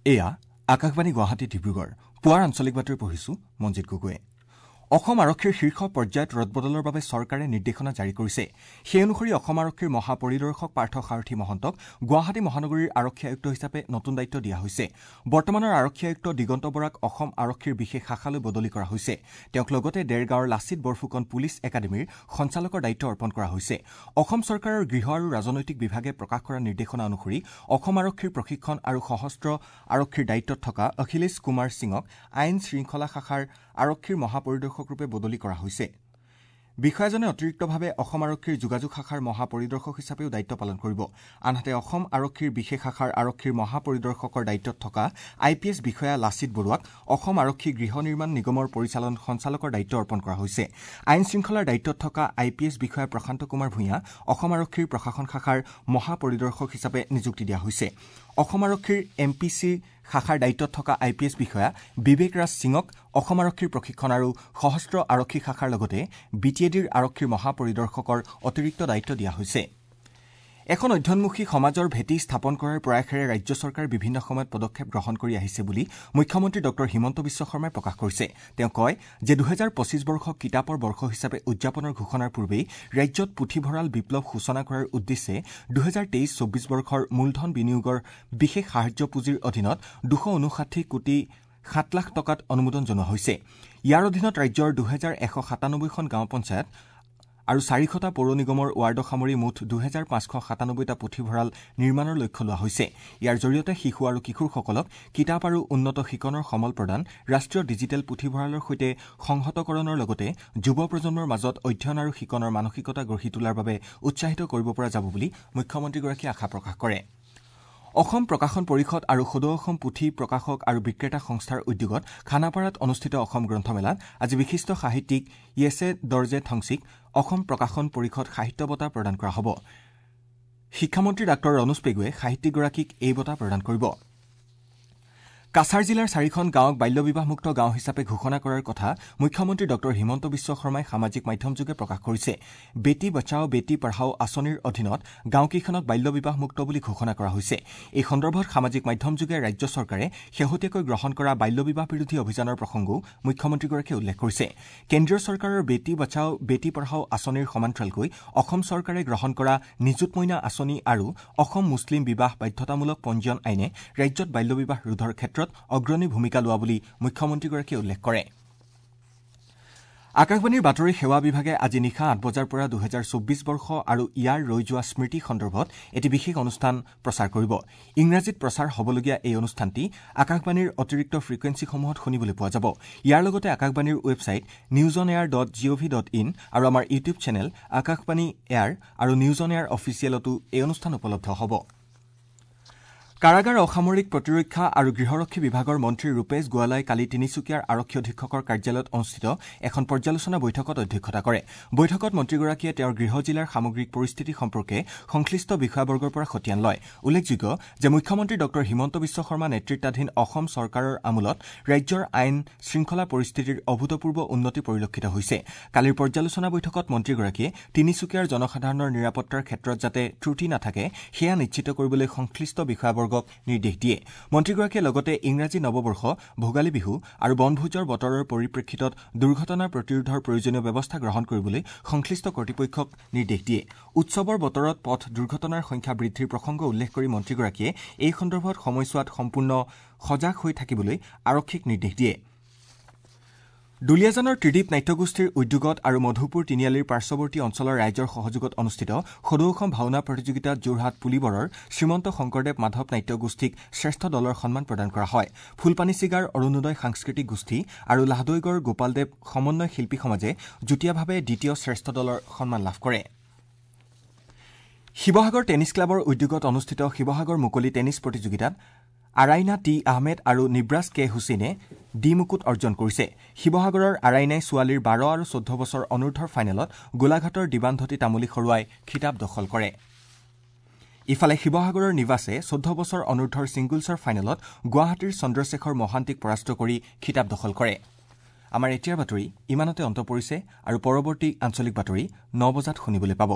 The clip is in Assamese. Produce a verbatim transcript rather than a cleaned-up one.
এয়া আকাশবাণী গুৱাহাটী ডিব্ৰুগড়। পুৱাৰ আঞ্চলিক বাতৰি পঢ়িছো মঞ্জিত গগৈয়ে। অসম আৰক্ষীৰ শীৰ্ষ পৰ্যায়ত ৰদবদলৰ বাবে চৰকাৰে নিৰ্দেশনা জাৰি কৰিছে। সেই অনুসৰি অসম আৰক্ষীৰ মহাপৰিদৰ্শক পাৰ্থ সাৰথি মহন্তক গুৱাহাটী মহানগৰীৰ আৰক্ষী আয়ুক্ত হিচাপে নতুন দায়িত্ব দিয়া হৈছে। বৰ্তমানৰ আৰক্ষী আয়ুক্ত দিগন্ত বৰাক অসম আৰক্ষীৰ বিশেষ শাখালৈ বদলি কৰা হৈছে। তেওঁক লগতে দেৰগাঁৱৰ লাচিত বৰফুকন পুলিচ একাডেমীৰ সঞ্চালকৰ দায়িত্ব অৰ্পণ কৰা হৈছে। অসম চৰকাৰৰ গৃহ আৰু ৰাজনৈতিক বিভাগে প্ৰকাশ কৰা নিৰ্দেশনা অনুসৰি অসম আৰক্ষীৰ প্ৰশিক্ষণ আৰু সশস্ত্ৰ আৰক্ষীৰ দায়িত্বত থকা অখিলেশ কুমাৰ সিঙক আইন শৃংখলা শাখাৰ আৰক্ষীৰ মহাপৰিদৰ্শকৰূপে বদলি কৰা হৈছে। বিষয়াজনে অতিৰিক্তভাৱে অসম আৰক্ষীৰ যোগাযোগ শাখাৰ মহাপৰিদৰ্শক হিচাপেও দায়িত্ব পালন কৰিব। আনহাতে অসম আৰক্ষীৰ বিশেষ শাখাৰ আৰক্ষীৰ মহাপৰিদৰ্শকৰ দায়িত্বত থকা আই পি এছ বিষয়া লাচিত বৰুৱাক অসম আৰক্ষী গৃহ নিৰ্মাণ নিগমৰ পৰিচালন সঞ্চালকৰ দায়িত্ব অৰ্পণ কৰা হৈছে। আইন শৃংখলাৰ দায়িত্বত থকা আই পি এছ বিষয়া প্ৰশান্ত কুমাৰ ভূঞা অসম আৰক্ষীৰ প্ৰশাসন শাখাৰ মহাপৰিদৰ্শক হিচাপে নিযুক্তি দিয়া হৈছে। অসম আৰক্ষীৰ এম পি চি শাখাৰ দায়িত্বত থকা আই পি এছ বিষয়া বিবেক ৰাজ সিঙক অসম আৰক্ষীৰ প্ৰশিক্ষণ আৰু সশস্ত্ৰ আৰক্ষী শাখাৰ লগতে বি টি এ ডিৰ আৰক্ষীৰ মহাপৰিদৰ্শকৰ অতিৰিক্ত দায়িত্ব দিয়া হৈছে। এখন অধ্যয়নমুখী সমাজৰ ভেটি স্থাপন কৰাৰ প্ৰয়াসেৰে ৰাজ্য চৰকাৰে বিভিন্ন সময়ত পদক্ষেপ গ্ৰহণ কৰি আহিছে বুলি মুখ্যমন্ত্ৰী ডঃ হিমন্ত বিশ্ব শৰ্মাই প্ৰকাশ কৰিছে। তেওঁ কয় যে দুহেজাৰ পঁচিছ বৰ্ষক কিতাপৰ বৰ্ষ হিচাপে উদযাপনৰ ঘোষণাৰ পূৰ্বেই ৰাজ্যত পুথিভঁৰাল বিপ্লৱ সূচনা কৰাৰ উদ্দেশ্যে দুহেজাৰ তেইছ চৌব্বিছ বৰ্ষৰ মূলধন বিনিয়োগৰ বিশেষ সাহায্য পুঁজিৰ অধীনত দুশ ঊনষাঠি কোটি সাত লাখ টকাত অনুমোদন জনোৱা হৈছে। ইয়াৰ অধীনত ৰাজ্যৰ দুহেজাৰ এশ সাতানব্বৈখন গাঁও পঞ্চায়ত আৰু চাৰিশটা পৌৰ নিগমৰ ৱাৰ্ডক সামৰি মুঠ দুহেজাৰ পাঁচশ সাতানব্বৈটা পুথিভঁৰাল নিৰ্মাণৰ লক্ষ্য লোৱা হৈছে। ইয়াৰ জৰিয়তে শিশু আৰু কিশোৰসকলক কিতাপ আৰু উন্নত শিকনৰ সমল প্ৰদান, ৰাষ্ট্ৰীয় ডিজিটেল পুথিভঁৰালৰ সৈতে সংহতকৰণৰ লগতে যুৱ প্ৰজন্মৰ মাজত অধ্যয়ন আৰু শিকনৰ মানসিকতা গঢ়ি তোলাৰ বাবে উৎসাহিত কৰিব পৰা যাব বুলি মুখ্যমন্ত্ৰীগৰাকীয়ে আশা প্ৰকাশ কৰে। অসম প্ৰকাশন পৰিষদ আৰু সদৌ অসম পুথি প্ৰকাশক আৰু বিক্ৰেতা সংস্থাৰ উদ্যোগত খানাপাৰাত অনুষ্ঠিত অসম গ্ৰন্থমেলাত আজি বিশিষ্ট সাহিত্যিক য়েছে দৰ্জে ঠংচিক অসম প্ৰকাশন পৰিষদ সাহিত্য বঁটা প্ৰদান কৰা হ'ব। শিক্ষামন্ত্ৰী ডাঃ ৰণোজ পেগুৱে সাহিত্যিকগৰাকীক এই বঁটা প্ৰদান কৰিব। কাছাৰ জিলাৰ চাৰিখন গাঁৱক বাল্যবিবাহমুক্ত গাঁও হিচাপে ঘোষণা কৰাৰ কথা মুখ্যমন্ত্ৰী ডঃ হিমন্ত বিশ্ব শৰ্মাই সামাজিক মাধ্যমযোগে প্ৰকাশ কৰিছে। বেটী বচাও বেটী পঢ়াও আঁচনিৰ অধীনত গাঁওকেইখনক বাল্যবিবাহমুক্ত বুলি ঘোষণা কৰা হৈছে। এই সন্দৰ্ভত সামাজিক মাধ্যমযোগে ৰাজ্য চৰকাৰে শেহতীয়াকৈ গ্ৰহণ কৰা বাল্যবিবাহ বিৰোধী অভিযানৰ প্ৰসংগও মুখ্যমন্ত্ৰীগৰাকীয়ে উল্লেখ কৰিছে। কেন্দ্ৰীয় চৰকাৰৰ বেটী বচাও বেটী পঢ়াও আঁচনিৰ সমান্তৰালকৈ অসম চৰকাৰে গ্ৰহণ কৰা নিযুত মইনা আঁচনি আৰু অসম মুছলিম বিবাহ বাধ্যতামূলক পঞ্জীয়ন আইনে ৰাজ্যত বাল্যবিবাহ ৰোধৰ ক্ষেত্ৰত অগ্ৰণী ভূমিকা লোৱা বুলি মুখ্যমন্ত্ৰীগৰাকীয়ে উল্লেখ কৰে। আকাশবাণীৰ বাতৰি সেৱা বিভাগে আজি নিশা আঠ বজাৰ পৰা দুহেজাৰ চৌব্বিছ বৰ্ষ আৰু ইয়াৰ ৰৈ যোৱা স্মৃতি সন্দৰ্ভত এটি বিশেষ অনুষ্ঠান প্ৰচাৰ কৰিব। ইংৰাজীত প্ৰচাৰ হ'বলগীয়া এই অনুষ্ঠানটি আকাশবাণীৰ অতিৰিক্ত ফ্ৰিকুৱেঞ্চিসমূহত শুনিবলৈ পোৱা যাব। ইয়াৰ লগতে আকাশবাণীৰ website news on air dot G O V dot in আৰু আমাৰ ইউটিউব চেনেল আকাশবাণী এয়াৰ আৰু নিউজ অন এয়াৰ অফিচিয়েলতো এই অনুষ্ঠান উপলব্ধ হ'ব। কাৰাগাৰ, অসামৰিক প্ৰতিৰক্ষা আৰু গৃহৰক্ষী বিভাগৰ মন্ত্ৰী ৰূপেশ গোৱালাই কালি তিনিচুকীয়াৰ আৰক্ষী অধীক্ষকৰ কাৰ্যালয়ত অনুষ্ঠিত এখন পৰ্যালোচনা বৈঠকত অধ্যক্ষতা কৰে। বৈঠকত মন্ত্ৰীগৰাকীয়ে তেওঁৰ গৃহ জিলাৰ সামগ্ৰিক পৰিস্থিতি সম্পৰ্কে সংশ্লিষ্ট বিষয়াবৰ্গৰ পৰা খতিয়ান লয়। উল্লেখযোগ্য যে মুখ্যমন্ত্ৰী ডঃ হিমন্ত বিশ্ব শৰ্মা নেতৃত্বাধীন অসম চৰকাৰৰ আমোলত ৰাজ্যৰ আইন শৃংখলা পৰিস্থিতিৰ অভূতপূৰ্ব উন্নতি পৰিলক্ষিত হৈছে। কালিৰ পৰ্যালোচনা বৈঠকত মন্ত্ৰীগৰাকীয়ে তিনিচুকীয়াৰ জনসাধাৰণৰ নিৰাপত্তাৰ ক্ষেত্ৰত যাতে ত্ৰুটি নাথাকে সেয়া নিশ্চিত কৰিবলৈ সংশ্লিষ্ট বিষয়াবৰ্গ নিৰ্দেশ দিয়ে। মন্ত্ৰীগৰাকীয়ে লগতে ইংৰাজী নৱবৰ্ষ, ভোগালী বিহু আৰু বনভোজৰ বতৰৰ পৰিপ্ৰেক্ষিতত দুৰ্ঘটনা প্ৰতিৰোধৰ প্ৰয়োজনীয় ব্যৱস্থা গ্ৰহণ কৰিবলৈ সংশ্লিষ্ট কৰ্তৃপক্ষক নিৰ্দেশ দিয়ে। উৎসৱৰ বতৰত পথ দুৰ্ঘটনাৰ সংখ্যা বৃদ্ধিৰ প্ৰসংগ উল্লেখ কৰি মন্ত্ৰীগৰাকীয়ে এই সন্দৰ্ভত সময়ছোৱাত সম্পূৰ্ণ সজাগ হৈ থাকিবলৈ আৰক্ষীক নিৰ্দেশ দিয়ে। দুলীয়াজানৰ ত্ৰিদীপ নাট্যগোষ্ঠীৰ উদ্যোগত আৰু মধুপুৰ তিনিআলিৰ পাৰ্শ্বৱৰ্তী অঞ্চলৰ ৰাইজৰ সহযোগত অনুষ্ঠিত সদৌ অসম ভাওনা প্ৰতিযোগিতাত যোৰহাট পুলিবৰৰ শ্ৰীমন্ত শংকৰদেৱ মাধৱ নাট্যগোষ্ঠীক শ্ৰেষ্ঠ দলৰ সন্মান প্ৰদান কৰা হয়। ফুলপানীছিগাৰ অৰুণোদয় সাংস্কৃতিক গোষ্ঠী আৰু লাহদৈগড় গোপালদেৱ সমন্বয় শিল্পী সমাজে যুটীয়াভাৱে দ্বিতীয় শ্ৰেষ্ঠ দলৰ সন্মান লাভ কৰে। শিৱসাগৰ টেনিছ ক্লাবৰ উদ্যোগত অনুষ্ঠিত শিৱসাগৰ মুকলি টেনিছ প্ৰতিযোগিতাত আৰাইনা টি আহমেদ আৰু নিব্ৰাজ কে হুছেইনে ডি মুকুট অৰ্জন কৰিছে। শিৱসাগৰৰ আৰাইনাই ছোৱালীৰ বাৰ আৰু চৈধ্য বছৰ অনুৰ্ধৰ ফাইনেলত গোলাঘাটৰ দিবান্ধতী তামুলী সৰুৱাই খিতাপ দখল কৰে। ইফালে শিৱসাগৰৰ নিবাসে চৈধ্য বছৰ অনুৰ্ধৰ ছিংগলছৰ ফাইনেলত গুৱাহাটীৰ চন্দ্ৰশেখৰ মহান্তিক পৰাস্ত কৰি খিতাপ দখল কৰে। আমাৰ এতিয়াৰ বাতৰি ইমানতে অন্ত পৰিছে আৰু পৰৱৰ্তী আঞ্চলিক বাতৰি ন বজাত শুনিবলৈ পাব।